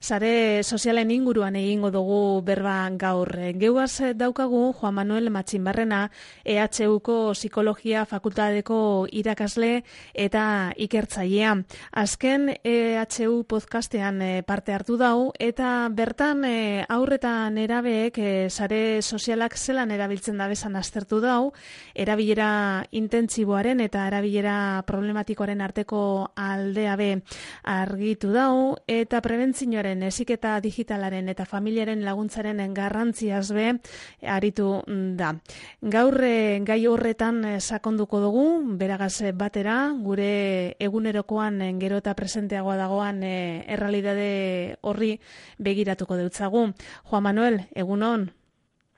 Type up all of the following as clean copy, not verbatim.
Sare sozialen inguruan egingo dugu berba gaur. Geuaz daukagu Juan Manuel Matxinbarrena, EHUko Psikologia Fakultateko irakasle eta ikertzailea. Azken EHU podcastean parte hartu dau eta bertan haur eta nerabeek sare sozialak zelan erabiltzen dabezan aztertu dau, erabilera intentsiboaren eta erabilera problematikoaren arteko aldea be argitu dau eta prebentzioaren heziketa digitalaren eta familiaren laguntzaren garrantziaz be aritu da. Gaur gai horretan sakonduko dugu, beragaz batera, gure egunerokoan gero eta presenteagoa dagoan errealitate horri begiratuko deutzagu. Juan Manuel, egunon.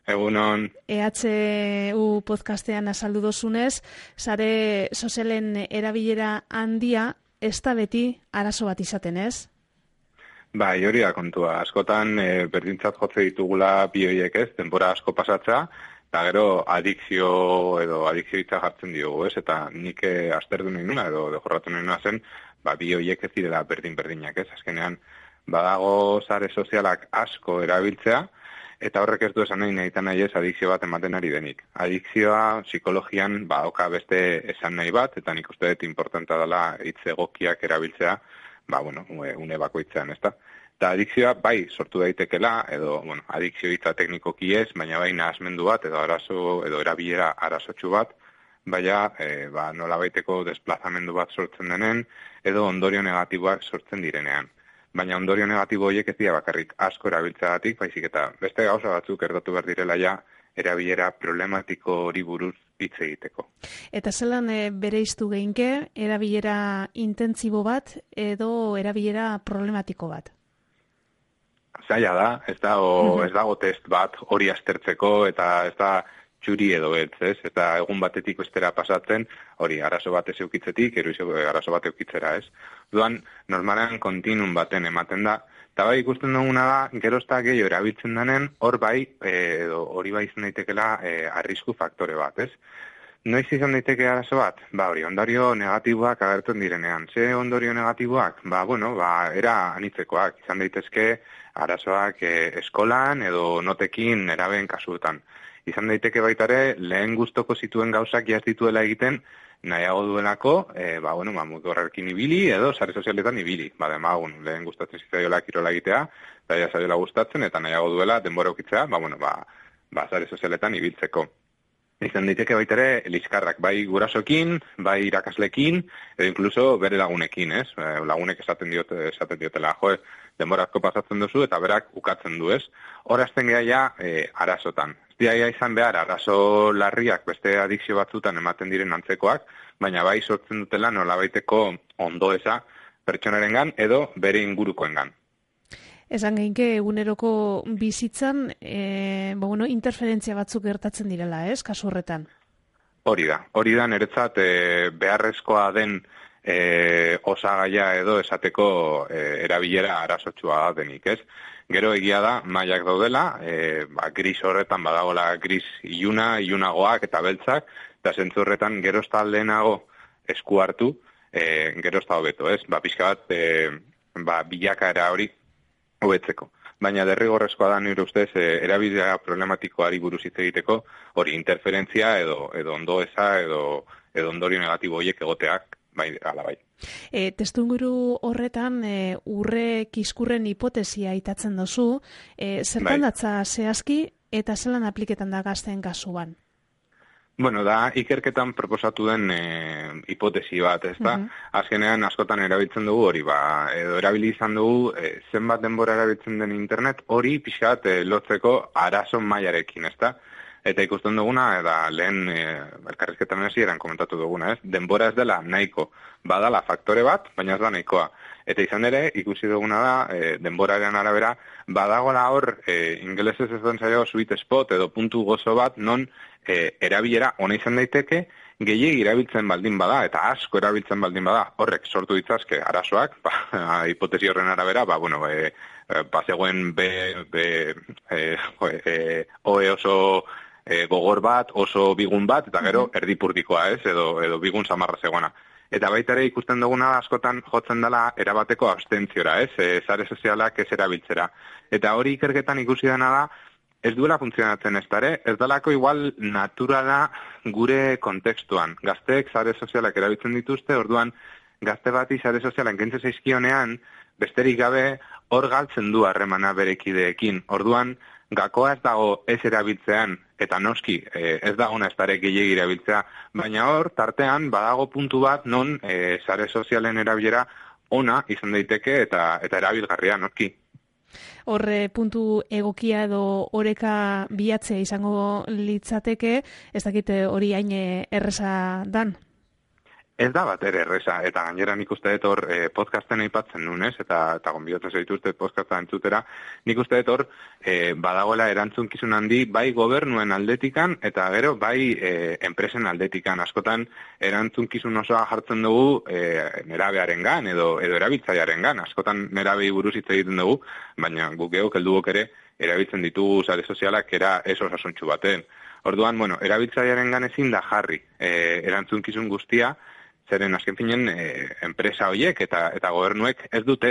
Egunon. EHU podcastean azaldu dozunez, sare sozialen erabilera handia ez da beti arazo bat izaten, ez? Bai, hori da kontua. Askotan berdintzat jotze ditugula bi horiek ez, denbora asko pasatza, eta gero adikzio hitza jartzen diogu, ez? Eta nik aztertu nahi nuna edo jorratu nahi nuna zen, bi horiek ez direla berdin-berdinak, ez? Azkenean, badago sare sozialak asko erabiltzea, eta horrek ez du esan nahi ez adikzio bat ematen ari denik. Adikzioa psikologian oka beste esan nahi bat, eta nik uste dut importanta dela hitz egokiak erabiltzea, une bakoitzean, ezta? Eta adikzioa bai sortu daitekela, edo, adikzio hitza teknikoki ez, baina bai nahasmendu bat, edo arazo, edo erabilera arazotxu bat, baina nolabaiteko desplazamendu bat sortzen denen, edo ondorio negatiboak sortzen direnean. Baina ondorio negatibo horiek ez dira bakarrik asko erabiltzeagatik, baizik eta beste gauza batzuk erdatu behar direla ja erabilera problematiko hori buruz hitz egiteko. Eta zelan bereiztu geinke erabilera intentsibo bat edo erabilera problematiko bat? Zaila da, ez dago test bat hori aztertzeko eta ez da txuri edo beltz, ez? Eta egun batetik bestera pasatzen, hori arazo bat ez eukitzetik, arazo bat eukitzera, ez? Duan, normalean kontinun baten ematen da, eta bai ikusten duguna da, gerozta gehiago erabiltzen denen, hor bai, hori bai izan daitekela arrisku faktore bat, ez? Noiz izan daiteke arazo bat? Hori, ondorio negatiboak agertzen direnean. Ze ondorio negatiboak? Era anitzekoak, izan daitezke arazoak eskolan edo notekin nerabeen kasuetan. Izan daiteke baitare, lehen gustoko zituen gauzak jaz dituela egiten, nahiago duelako, mutu horrekin ibili edo sare sozialetan ibili. Lehen gustatzen zitzaiola kirola egitea, eta jazaiola gustatzen, eta nahiago duela denbora ukitzea, sare sozialetan ibiltzeko. Izan daiteke baitare, liskarrak, bai gurasokin, bai irakaslekin, edo inkluso bere lagunekin, ez? Lagunek esaten diotela, denbora asko pasatzen duzu, eta berak ukatzen du, ez? Horazten geha arazotan. Dia izan behar, arazo larriak beste adikzio batzutan ematen diren antzekoak, baina bai sortzen dutela nolabaiteko ondoeza pertsonarengan edo bere ingurukoengan. Esan geinke eguneroko bizitzan, interferentzia batzuk gertatzen direla, ez, kasu horretan? Hori da niretzat beharrezkoa den osagaia edo esateko erabilera arazotsua denik, ez? Gero egia da, mailak daudela, gris horretan badagola gris ilunagoak eta beltzak, eta zentzu horretan gerozta aldenago esku hartu, gerozta hobeto, ez? Pixka bat, bilakaera hori hobetzeko. Baina derrigorrezkoa da nire ustez, erabilera problematikoari buruz hitz egiteko, hori interferentzia edo ondoeza edo ondorio negatibo horiek egoteak, ala bai. Testuinguru horretan urre kiskurren hipotesia aitatzen dozu, zertan datza zehazki eta zelan apliketan da gazteen kasuan? Da ikerketan proposatu den hipotesi bat, ez da? Azkenean askotan erabiltzen dugu hori, edo erabili izan dugu zenbat denbora erabiltzen den internet, hori pixkat lotzeko arazo mailarekin, ez da? Eta ikusten duguna, eta lehen elkarrizketan hasieran komentatu duguna, ez? Denbora ez dela nahiko, badala faktore bat, baina ez da nahikoa. Eta izan ere, ikusi duguna da, denboraren arabera, badagoela hor, ingelesez ez den zailo sweet spot edo puntu gozo bat, non erabilera ona izan daiteke, gehiegi erabiltzen baldin bada, eta asko erabiltzen baldin bada, horrek sortu ditzazke arazoak, hipotesi horren arabera, zegoen oe oso gogor bat, oso bigun bat, eta gero erdipurdikoa ez, edo bigun samarra zegoena. Eta baita ere ikusten duguna askotan jotzen dela erabateko abstentziora, sare sozialak ez erabiltzera. Eta hori ikerketan ikusi dena da, ez duela funtzionatzen ez dalako igual naturala gure kontekstuan. Gazteek sare sozialak erabiltzen dituzte, orduan gazte bati sare sozialak kentzen zaizkionean, besterik gabe hor galtzen du harremana berekideekin. Orduan, gakoa ez dago ez erabiltzean, eta noski ez dago ez dare gehiegi erabiltzea, baina hor, tartean, badago puntu bat non sare sozialen erabilera ona izan daiteke eta erabilgarria noski. Horre puntu egokia edo oreka bilatzea izango litzateke, ez dakite hori hain erreza dan? Ez da bat ere erreza, eta gainera nik uste dut hor podcasten aipatzen nunez, eta gonbidatzen zaituzte podcasta entzutera, nik uste dut hor badagoela erantzunkizun handi bai gobernuen aldetikan, eta gero bai enpresen aldetikan. Askotan erantzunkizun osoa jartzen dugu nerabearengan edo erabiltzailearengan. Askotan nerabei buruz hitz egiten dugu, baina guk geok helduok ere erabiltzen ditugu sare sozialak era ez osasuntsu baten. Orduan, erabiltzailearengan ezin da jarri erantzunkizun guztia, zeren azken finen enpresa horiek eta gobernuek ez dute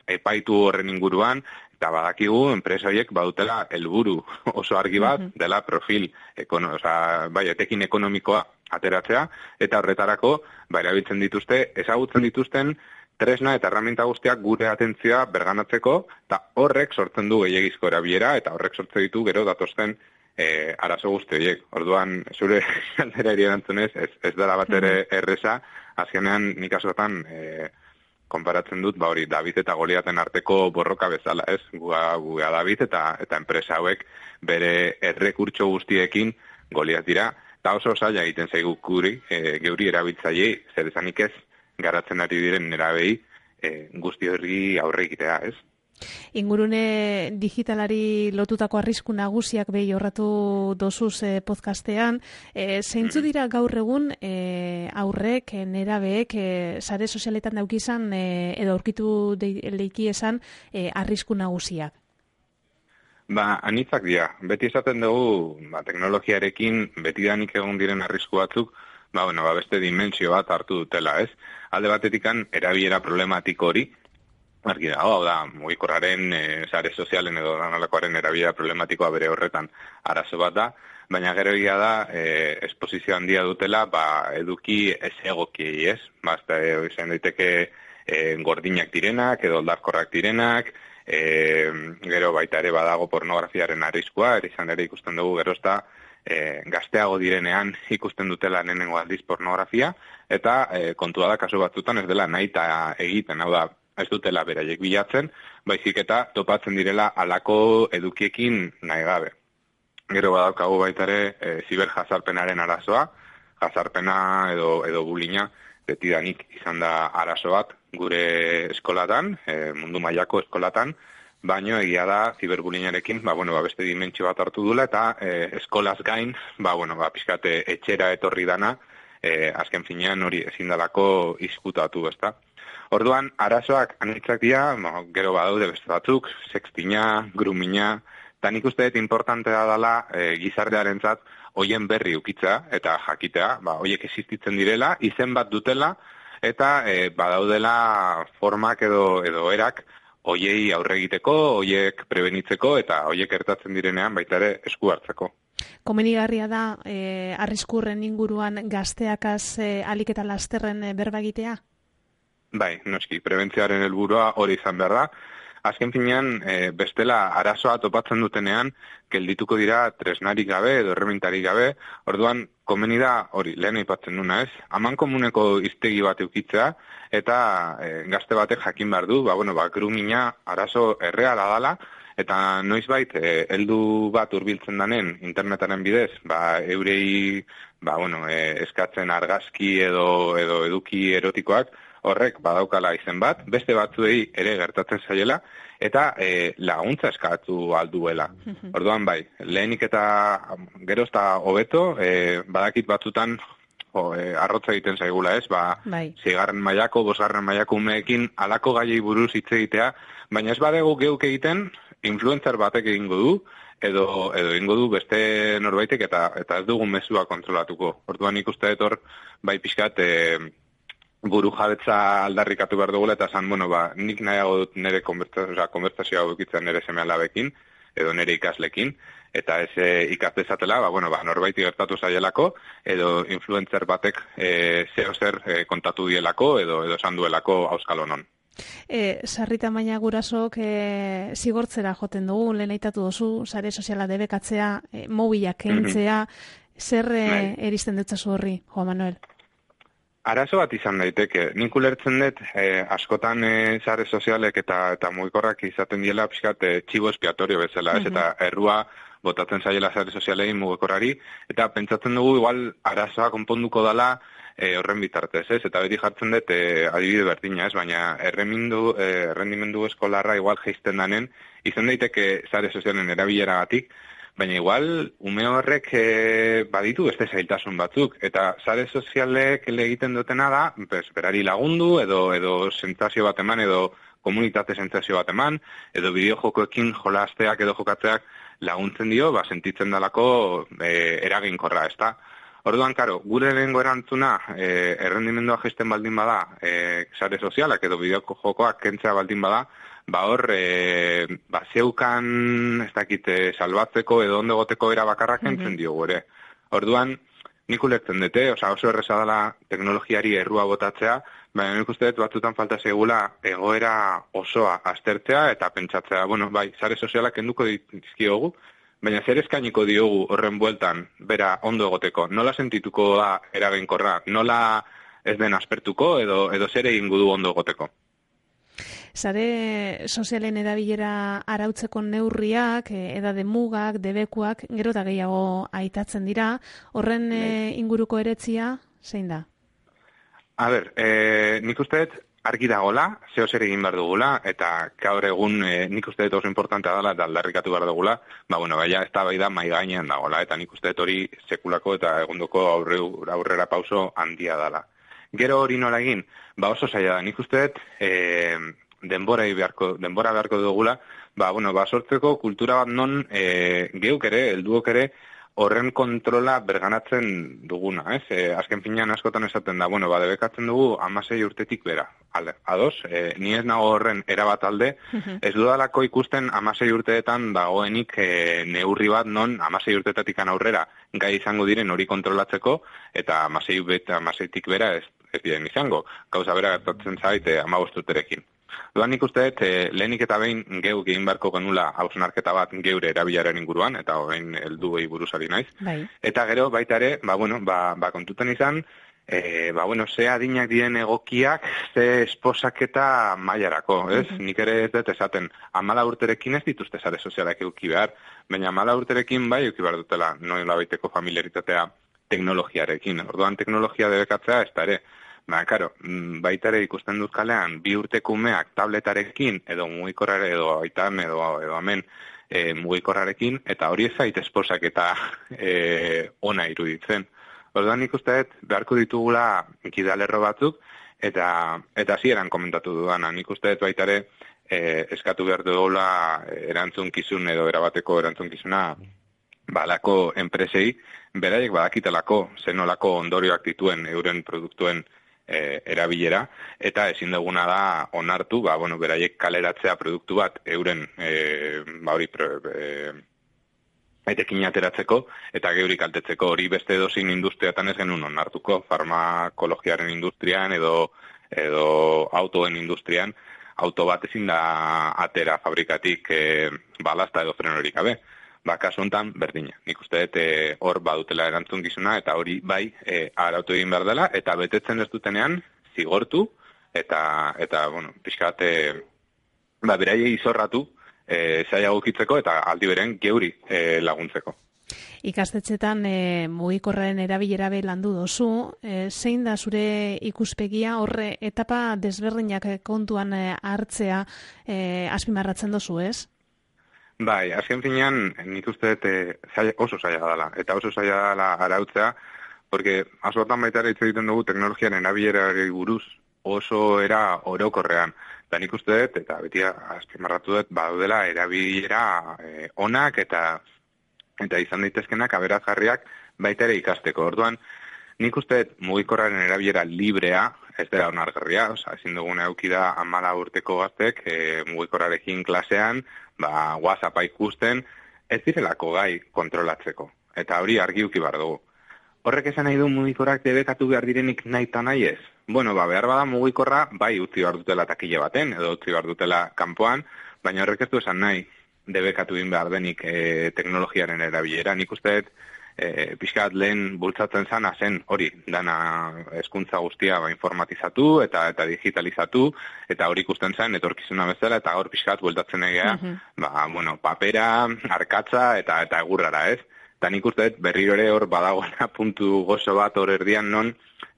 epaitu horren inguruan, eta badakigu enpresa horiek badutela helburu oso argi bat, dela profil, etekin ekonomikoa ateratzea, eta horretarako erabiltzen dituzte, ezagutzen dituzten tresna eta herramienta guztiak gure atentzioa berganatzeko, eta horrek sortzen du gehiegizko erabilera, eta horrek sortzen ditu gero datosten arazo guzti horiek. Orduan, zure galderari erantzunez, ez dela bat ere erreza, azkenean nik askotan konparatzen dut, hori David eta Goliaten arteko borroka bezala, ez? Guga David eta enpresa hauek bere errekurtso guztiekin Goliat dira, eta oso zaila egiten zaigu geuri erabiltzaileei, zer esanik ez garatzen ari diren nerabei guzti horri aurre egitea, ez? Ingurune digitalari lotutako arrisku nagusiak behi horratu dozuz podcastean. Zeintzu dira gaur egun aurrek, nerabeek, sare sozialetan daukizan edo aurkitu leiki esan arrisku nagusiak? Anitzak dira. Beti esaten dugu teknologiarekin betidanik egon diren arrisku batzuk, beste dimentsio bat hartu dutela, ez? Alde batetikan erabilera problematiko hori, argi dago, mugikorraren, sare sozialen edo danolakoaren erabilera problematikoa bere horretan arazo bat da, baina gero egia da, esposizio handia dutela, eduki ez egokiei, ez? Izan daiteke gordinak direnak, edo oldarkorrak direnak, gero baita ere badago pornografiaren arriskua, izan ere ikusten dugu gero ezta, gazteago direnean ikusten dutela lehenengo aldiz pornografia, eta kontua da kasu batzutan ez dela nahita egiten, hau da, ez dutela beraiek bilatzen, baizik eta topatzen direla halako edukiekin nahi gabe. Gero badaukagu baita ere ziberjazarpenaren arazoa, jazarpena edo bullyinga betidanik izan da arazo bat gure eskolatan, mundu mailako eskolatan, baino egia da ziberbullyingarekin, beste dimentsio bat hartu dula eta eskolaz gain, pixkate etxera etorri dana, azken finean hori ezin dalako izkutatu, ezta? Orduan, arazoak anitzak dira, gero badaude beste batzuk, sextina, grumina, eta nik uste dut importantea dela gizartearentzat hoien berri ukitza eta jakitea, hoiek existitzen direla, izen bat dutela, eta badaudela formak edo erak hoiei aurre egiteko, hoiek prebenitzeko eta hoiek gertatzen direnean baita ere esku hartzeko. Komenigarria da arriskurren inguruan gazteakaz alik eta lasterren berba egitea? Bai, noski, prebentzioaren helburua hori izan behar da. Azken finean, bestela arazoa topatzen dutenean, geldituko dira tresnarik gabe edo erremintarik gabe, orduan komeni da hori, lehen aipatzen duna ez, aman komuneko hiztegi bat eukitzea, eta gazte batek jakin behar du, grumina arazo erreala dala, eta noizbait, heldu bat hurbiltzen danen internetaren bidez, eurei eskatzen argazki edo eduki erotikoak, horrek badaukala izen bat, beste batzuei ere gertatzen zaiela, eta laguntza eskatu alduela. Orduan lehenik eta gerozta hobeto, badakit batzutan arrotza egiten zaigula ez, 6. mailako, 5. mailako umeekin halako gaiei buruz hitz egitea, baina ez badegu geuk egiten, influencer batek egingo du, edo egingo du beste norbaitek eta ez dugun mezua kontrolatuko. Orduan ikuste dut hor, pixkat, buru jabetza aldarrikatu behar dugula, eta esan, nik nahiago dut nire konbertsazioa haukitzen nire seme-alabekin, edo nire ikaslekin, eta ez ikasdezatela, norbaiti gertatu zaielako, edo influencer batek zer kontatu dielako, edo esan duelako auskalonon. Sarrita baina gurasok zigortzera joten dugu, lehen aitatu duzu, sare soziala debekatzea, mobilak kentzea, zer eristen dutzazu horri, Juan Manuel? Arazo bat izan daiteke. Nik ulertzen dut, askotan sare sozialek eta mugikorrak izaten diela pixkat txibo espiatorio bezala, ez? Eta errua botatzen zaiela sare sozialei mugikorrari, eta pentsatzen dugu igual arazoa konponduko dala horren bitartez, ez? Eta beti jartzen dut adibide berdina, ez? Baina errendimendu eskolarra igual geizten danen, izan daiteke sare sozialen erabileragatik, baina igual ume horrek baditu beste zailtasun batzuk, eta sare sozialek egiten dutena da, berari lagundu, edo sentsazio bat eman, edo komunitate sentsazio bat eman, edo bideojokoekin jolasteak edo jokatzeak laguntzen dio, sentitzen dalako eraginkorra, ezta? Orduan, karo, gure lehengo erantzuna errendimendua jaisten baldin bada, sare sozialak edo bideoko jokoak kentzea baldin bada, hor, zeukan, ez dakit, salbatzeko edo ondo goteko era bakarrak kentzen diogu ere. Orduan, nik ulertzen dute, oso erreza dela teknologiari errua botatzea, baina nik uste dut batzutan falta segula egoera osoa aztertzea eta pentsatzea, sare sozialak kenduko dizkiogu, baina zer eskainiko diogu horren bueltan, bera ondo egoteko, nola sentituko da eraginkorra, nola ez den aspertuko edo zer egingo du ondo egoteko. Sare sozialen erabilera arautzeko neurriak, edade mugak, debekuak, gero eta gehiago aitatzen dira, horren inguruko eretzia, zein da? A ber, nik uste dut argi dagoela, zeo zer egin behar dugula, eta gaur egun nik uste dut oso importantea dela eta aldarrikatu behar dugula, ez da bai da mai gainean dagoela, eta nik uste dut hori sekulako eta egundoko aurrera pauso handia dela. Gero hori nola egin, oso zaila da, nik uste dut denbora beharko dugula, sortzeko kultura bat non geuk ere, helduok ere, horren kontrola berganatzen duguna, ez? Azken finean askotan esaten da, debekatzen dugu 16 urtetik bera. Ados, ni ez nago horren erabat alde, ez dudalako ikusten 16 urteetan dagoenik neurri bat non 16 urteetatik aurrera gai izango diren hori kontrolatzeko, eta 16tik bera ez diren izango. Gauza bera gertatzen zait 15 urterekin. Duan nik uste dut, lehenik eta behin geuk egin beharko genula hausnarketa bat geure erabilaren inguruan, eta horrein helduei buruzari naiz. Bai. Eta gero, baita ere, kontuten izan, ze adinak diren egokiak, ze esposaketa mailarako, ez? Nik ere ez dut esaten, 14 urterekin ez dituzte sare sozialak eduki behar, baina 14 urterekin bai eduki behar dutela, nola baiteko familiaritatea teknologiarekin. Orduan teknologia debekatzea ez da ere. Baita ere ikusten dut kalean, 2 urteko umeak tabletarekin, edo mugikorrare, edo aitan, edo hemen mugikorrarekin, eta hori ez zait esposak eta ona iruditzen. Orduan nik uste dut, beharko ditugula gidalerro batzuk, eta hasieran komentatu dudana. Nik uste dut baita ere, eskatu behar dugula erantzunkizun edo erabateko erantzunkizuna balako enpresei, beraiek badakitelako, zenolako ondorioak dituen euren produktuen erabilera, eta ezin duguna da onartu, beraiek kaleratzea produktu bat euren etekin ateratzeko, eta geuri kaltetzeko hori beste edozein industriatan ez genuen onartuko, farmakologiaren industrian edo autoen industrian, auto bat ezin da atera fabrikatik balazta edo frenorik gabe. Kasu honetan, berdina. Nik uste dut hor badutela erantzunkizuna, eta hori bai arautu egin behar dela, eta betetzen ez dutenean zigortu, eta pixkat, beraiei izorratu zaila gukitzeko, eta aldi beren geuri laguntzeko. Ikastetxetan mugikorraren erabilera landu dozu, zein da zure ikuspegia horre etapa desberdinak kontuan hartzea azpimarratzen dozu, ez? Bai, azken finean, nik uste dut oso zaila dela, eta oso zaila dela arautzea, porque askotan baita ere hitz egiten dugu teknologiaren erabilerari buruz oso era orokorrean. Eta nik uste dut, eta beti azpimarratu dut, badudela erabilera onak eta izan daitezkenak aberazgarriak baita ere ikasteko. Orduan, Nik uste mugikorraren erabilera librea ez dela onargarria, ezin duguna eukida 14 urteko gaztek mugikorrarekin klasean, WhatsAppa ikusten, ez direlako gai kontrolatzeko. Eta hori argi uki behar dugu. Horrek esan nahi du mugikorrak debekatu behar direnik nahi eta nahi ez? Bueno, behar bada mugikorra, bai utzi behar dutela takile baten, edo utzi behar dutela kanpoan, baina horrek ez du esan nahi debekatu egin behar denik teknologiaren erabilera. Nik uste pixkat lehen bultzatzen zana zen hori, dana hezkuntza guztia informatizatu eta digitalizatu, eta hori ikusten zen etorkizuna bezala, eta hor pixkat bultatzen egea, papera, arkatza eta egurrara, ez? Eta nik uste berriro ere hor badagoena puntu gozo bat hor erdian non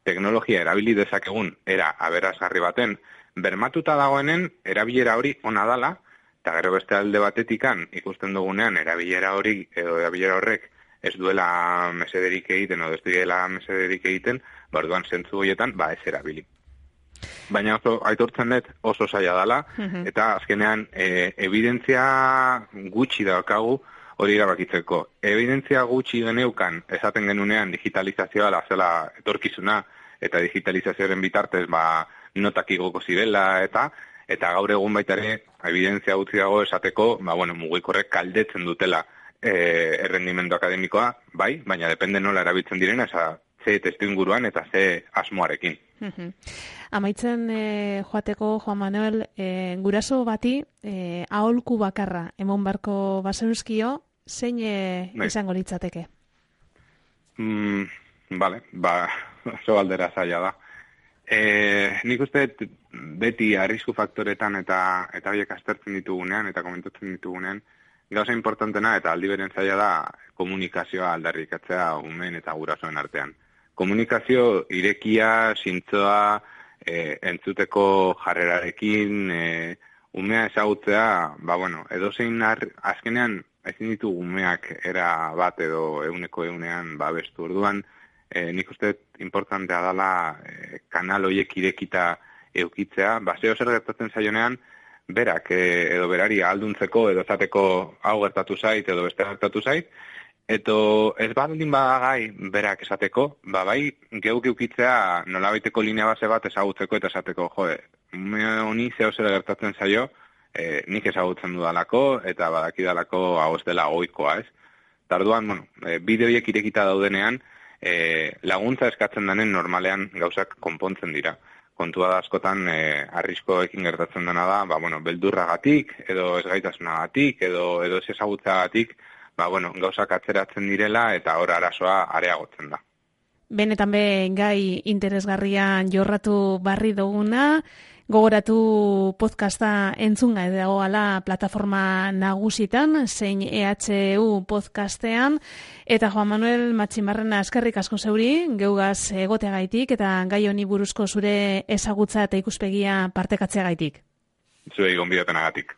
teknologia erabili dezakegun era aberasgarri baten bermatuta dagoenen erabilera hori ona dala, eta gero beste alde batetikan ikusten dugunean erabilera hori edo erabilera horrek ez duela mesederik egiten, edo ez duela mesederik egiten, orduan zentzu horietan, ez erabili. Baina aitortzen dut oso zaila dela, eta azkenean evidentzia gutxi daukagu hori erabakitzeko. Evidentzia gutxi geneukan esaten genunean digitalizazioa zela etorkizuna, eta digitalizazioaren bitartez notak igoko zirela, eta gaur egun baita ere evidentzia gutxi dago esateko, mugikorrek kaldetzen dutela errendimendu akademikoa, baina depende nola erabiltzen direna, ze testu inguruan eta ze asmoarekin. Amaitzen joateko, Juan Manuel, guraso bati aholku bakarra emon barko bazenuzkio, zein izango litzateke? Oso galdera zaila da. Nik uste beti arrisku faktoretan eta horiek aztertzen ditugunean eta komentatzen ditugunean, gauza importantena eta aldi beren zaila da komunikazioa aldarrikatzea umeen eta gurasoen artean. Komunikazio irekia, zintzoa, entzuteko jarrerarekin, umea ezagutzea, edozein azkenean ezin ditu umeak era bat edo egunean babestu orduan, nik uste importantea dela kanal horiek irekita eukitzea, zeo zer gertatzen zaionean, berak edo berari alduntzeko edo esateko hau gertatu zait edo beste gertatu zait, eto ez baldin badagai berak esateko, geuk eukitzea nolabaiteko linea base bat ezagutzeko eta esateko, honi zeo zer gertatzen zaio, nik ezagutzen dudalako eta badakidalako hau ez dela ohikoa, ez? Tarduan, bideoiek irekita daudenean, laguntza eskatzen denen normalean gauzak konpontzen dira. Kontua da askotan arriskoekin gertatzen dena da, beldurragatik, edo ezgaitasunagatik, edo ez ezagutzagatik, gauzak atzeratzen direla eta hor arazoa areagotzen da. Benetan gai interesgarrian jorratu barri duguna, gogoratu podcasta entzunga edagoala plataforma nagusitan, zein EHU podcastean, eta Juan Manuel Matxinbarrena eskerrik asko zeuri, geugaz egoteagaitik eta gai honi buruzko zure ezagutza eta ikuspegia partekatzeagaitik. Zuei gonbidapenagatik.